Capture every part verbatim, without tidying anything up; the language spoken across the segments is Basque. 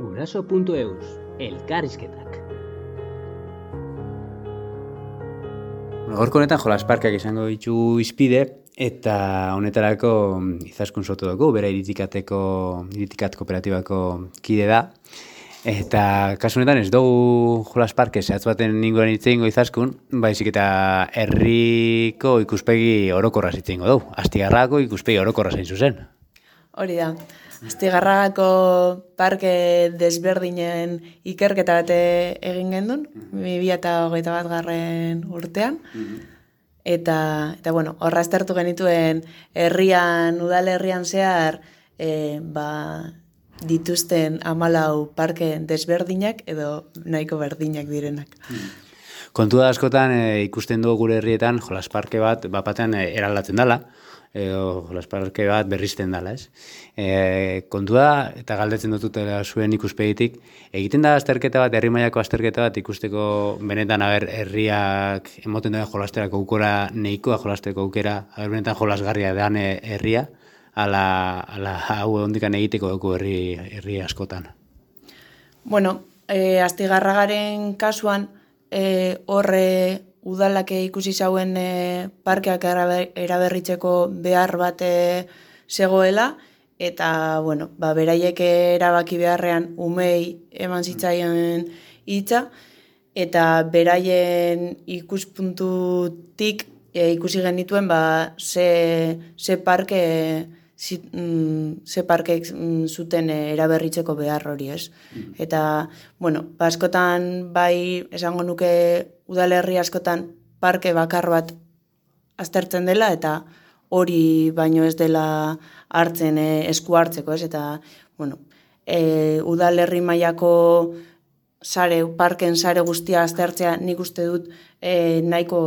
Guraso puntu eus, elkarrizketak. Gaurko honetan jolas parkeak izango ditu izpide, eta honetarako Izaskun Soto dugu, bera iritikateko, iritikat kooperatibako kide da. Eta kasu honetan ez dugu jolas parke zehatz baten inguruan hitz egingo Izaskun, baizik eta herriko ikuspegi orokorraz hitz egingo dugu. Astigarragako ikuspegi orokorraz hain zuzen. Hori da. Astigarragako parke desberdinen ikerketa bat egin gendun, bi mila hogeita bat garren urtean. Eta, eta bueno, horra aztertu genituen herrian, udalerrian zehar, e, ba, dituzten hamalau parke desberdinak edo nahiko berdinak direnak. Kontua askotan e, ikusten dugu gure herrietan jolas parke bat bapatean e, eraldatzen dela, edo jolas parke bat berrizten dela, ez? E, kontua, eta galdetzen dututela zuen ikuspegitik, egiten da azterketa bat, herri mailako azterketa bat ikusteko benetan aber herriak emoten da jolasterako aukera nahikoa jolasteko aukera, aber benetan jolasgarria dan herria, ala, ala hau ondikan egiteko dugu herri, herri askotan. Bueno, e, Astigarragaren kasuan, e, horre udalak ikusi zauen e, parkeak eraberritzeko behar bat e, zegoela, eta, bueno, ba, beraiek erabaki beharrean umei eman zitzaien hitza, eta beraien ikuspuntutik e, ikusi genituen ba, ze, ze parke zi, mm, ze parke mm, zuten e, eraberritzeko behar hori, ez? Eta, bueno, ba, askotan bai esango nuke udalerri askotan parke bakar bat aztertzen dela, eta hori baino ez dela hartzen e, esku hartzeko, ez? Eta, bueno, e, udalerri mailako sare, parken sare guztia aztertzea nik uste dut e, nahiko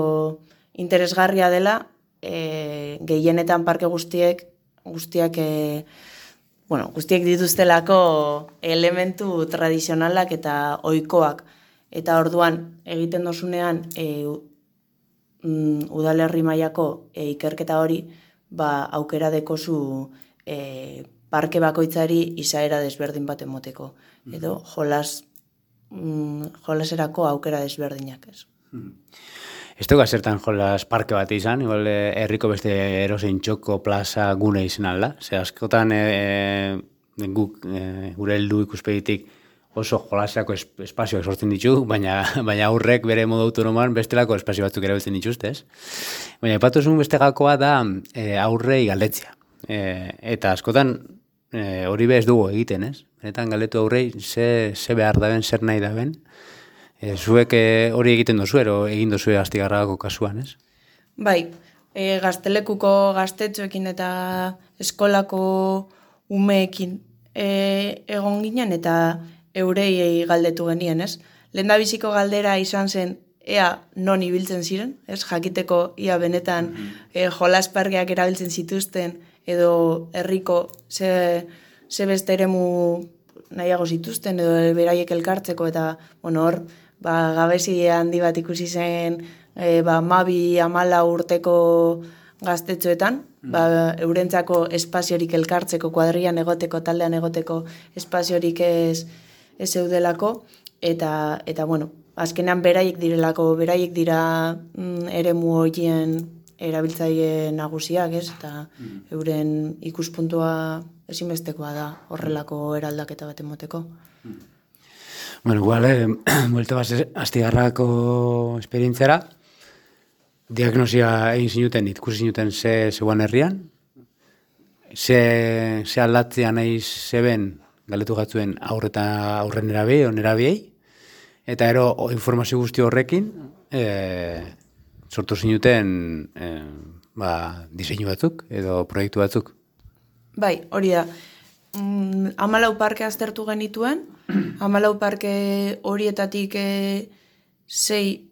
interesgarria dela, e, gehienetan parke guztiek, guztiak, e, bueno, guztiek dituztelako elementu tradizionalak eta ohikoak. Eta orduan egiten dozunean e, um, udalerri mailako e, ikerketa hori, ba, aukera dekozu e, parke bakoitzari izaera desberdin bat emoteko. Edo jolas, mm, jolaserako aukera desberdinak, ez. Ez dugu zertan jolas parke bat izan, igual herriko beste erosein txoko plaza gune izan alda. Ze askotan e, e, guk e, gure heldu ikuspegitik oso jolaserako espazioak sortzen ditu, baina, baina aurrek bere modu autonomoan bestelako espazio batzuk erabiltzen dituzte, ez? Baina epatuzun beste gakoa da e, aurrei galdetzea. E, eta askotan e, hori bez dugu egiten, ez? Benetan galdetu aurrei ze, ze behar daben, zer nahi daben. E, zuek e, hori egiten dozu, ero egin dozu Astigarragako kasuan, ez? Bai, e, gaztelekuko gaztetxoekin eta eskolako umeekin e, egon ginen, eta eurei galdetu genien, ez? Lehendabiziko galdera izan zen ea non ibiltzen ziren, ez? Jakiteko ia benetan e, jolas parkeak erabiltzen zituzten edo herriko ze, ze beste eremu nahiago zituzten edo beraiek elkartzeko, eta bueno, hor ba, gabezi handi bat ikusi zen e, ba, mabi amala urteko gaztetxoetan, ba, eurentzako espaziorik elkartzeko, kuadrian egoteko, taldean egoteko espaziorik ez ez zeudelako, eta, eta bueno, azkenean beraiek direlako, beraiek dira mm, eremu horien erabiltzaile nagusiak, ez? Eta mm. euren ikuspuntua ezinbestekoa da horrelako eraldaketa bat emoteko. Mm. Bueno, igual, eh, buelta bat Astigarragako esperientziara, diagnosia egin zinuten, ikusi zinuten ze zegoen herrian, ze, ze aldatzea nahi zeben galdetu gatzuen aurreta aurren erabei, o nerabiei, eta ero o, informazio guzti horrekin e, sortu zinuten e, ba, diseinu batzuk edo proiektu batzuk. Bai, hori da. Mm, hamalau parke aztertu genituen, hamalau parke horietatik e, sei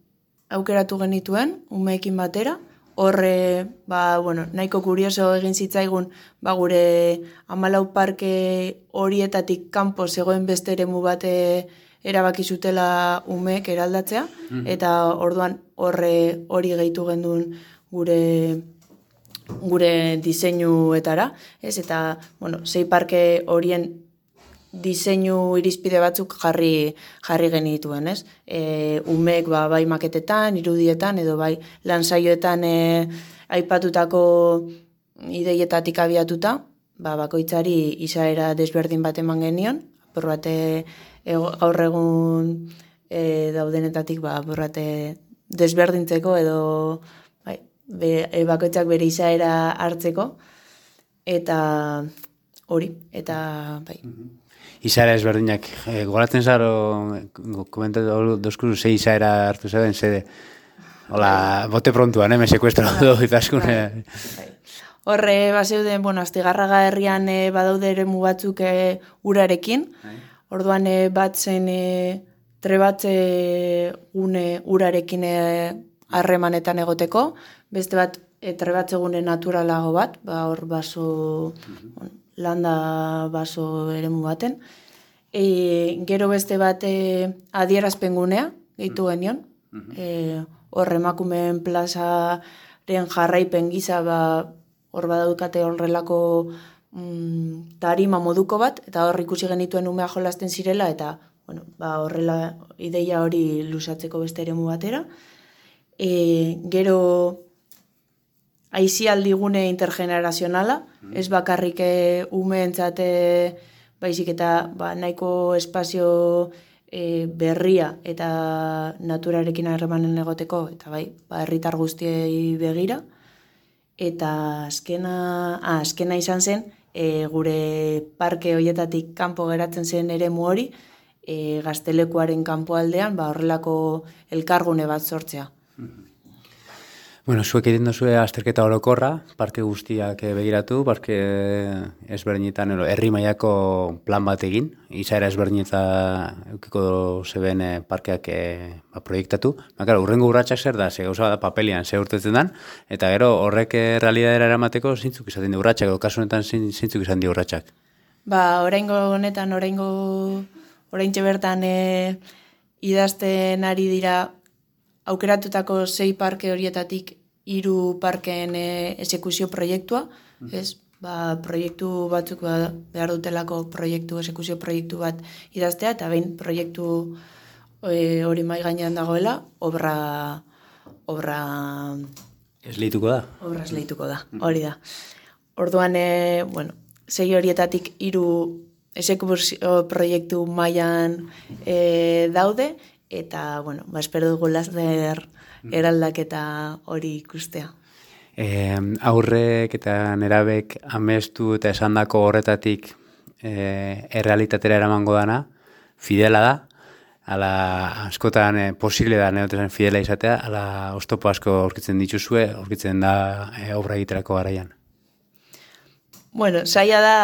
aukeratu genituen, umeekin batera. Horre, ba, bueno, nahiko kurioso egin zitzaigun, ba, gure hamalau parke horietatik kanpo zegoen beste eremu bate erabaki zutela umeek eraldatzea, mm-hmm. eta orduan horre hori gehitu gendun gure gure diseinuetara, ez? Eta, bueno, sei parke horien diseinu irizpide batzuk jarri jarri genituen, ez? E, umek ba, bai maketetan, irudietan, edo bai lansaioetan e, aipatutako ideietatik abiatuta, ba, bakoitzari izaera desberdin bat eman genion, apur bate e, gaur egun e, daudenetatik ba, apur bate desberdintzeko edo bai, be, e, bakoitzak bere izaera hartzeko, eta hori, eta bai. Izaera ezberdinak, e, goratzen zaro, komentatu dozkuru, ze izaera hartu zeben, ze, hola, bote prontuan, eh, me sekuestro do, itaskune. Bai. Horre, bazeuden, bueno, Astigarraga herrian e, badaude eremu batzuk e, urarekin, orduan e, bat zen e, trebatze gune urarekin harremanetan e, egoteko, beste bat e, trebatze gune naturalago bat, ba, hor baso, bueno, landa baso eremu baten. E, gero beste bat e, adierazpen gunea, gehitu genion. E, hor emakumeen plazaren jarraipen gisa, ba, hor badaukate horrelako mm, tarima moduko bat, eta hor ikusi genituen umea jolasten zirela, eta bueno, ba, horrela ideia hori lusatzeko beste eremu batera. E, gero aisialdigune intergenerazionala, mm. ez bakarrik umeentzat baizik eta ba, nahiko espazio e, berria eta naturarekin harremanen egoteko, eta bai, ba, herritar guztiei begira. Eta azkena, ah, azkena izan zen, e, gure parke hoietatik kanpo geratzen zen eremu hori, e, Gaztelekuaren kanpoaldean ba, horrelako elkargune bat sortzea. Bueno, zuek egiten duzue azterketa orokorra, parke guztiak begiratu, parke ezberdinetan, herri mailako plan bat egin, izaera ezberdinetan eukiko zeben parkeak ba, proiektatu. Ba, urrengo urratsak zer da, ze gauza da papelian ze urtetzen dan, eta gero horrek realidadera eramateko zintzuk izaten di urratsak, edo kasu honetan zintzuk izan di urratsak. Ba, oraingo honetan, oraingo oraintxe bertan e, idazten ari dira aukeratutako sei parke horietatik hiru parkeen e, esekuzio proiektua, mm. ez? Ba, proiektu batzuk ba, behar dutelako proiektu, esekuzio proiektu bat idaztea, eta behin proiektu e, hori mai gainean dagoela, obra obra esleituko da. Obra esleituko da, hori da. Orduan, e, bueno, sei horietatik hiru esekuzio proiektu mailan e, daude, eta, bueno, ba, espero dugu laster eraldaketa hori ikustea. E, aurrek eta nerabek amestu eta esandako horretatik e, errealitatera eramango dana, fidela da, ala askotan e, posible da neotesan fidela izatea, ala oztopo asko aurkitzen dituzue, aurkitzen da e, obra egiterako garaian. Bueno, saia da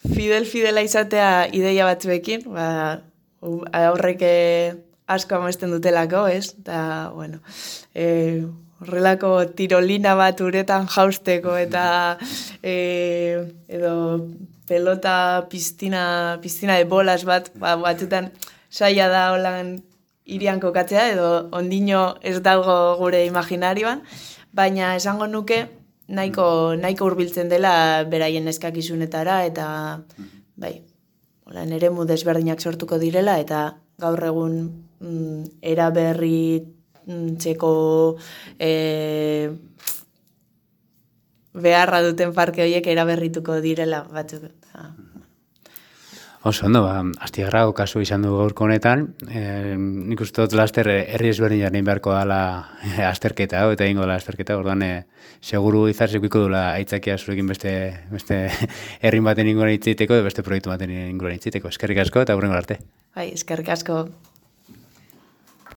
fidel-fidela izatea ideia batzuekin, ba, aurrek asko amesten dutelako, ez? Eta, bueno, e, horrelako tirolina bat uretan jausteko eta e, edo pelota piztina, piztina de bolas bat, ba, batzutan saia da holan irian kokatzea, edo ondino ez dago gure imaginarioan, baina esango nuke nahiko, nahiko hurbiltzen dela beraien eskakizunetara, eta bai, holan eremu desberdinak sortuko direla, eta gaur egun mm, eraberritzeko e, beharra duten parke horiek eraberrituko direla batzuk. Oso, ondo, ba, Astigarrago kasu izan du gaurko honetan, e, nik uste dut laster herri ezberdinak egin beharko dela e, azterketa, eta egingo dela azterketa, orduan e, seguru izarzekuiko dula aitzakia zurekin beste, beste herrin baten inguruan hitz egiteko, beste proiektu baten inguruan hitz egiteko. Eskerrik asko eta hurrengo arte. Bai, eskerrik asko.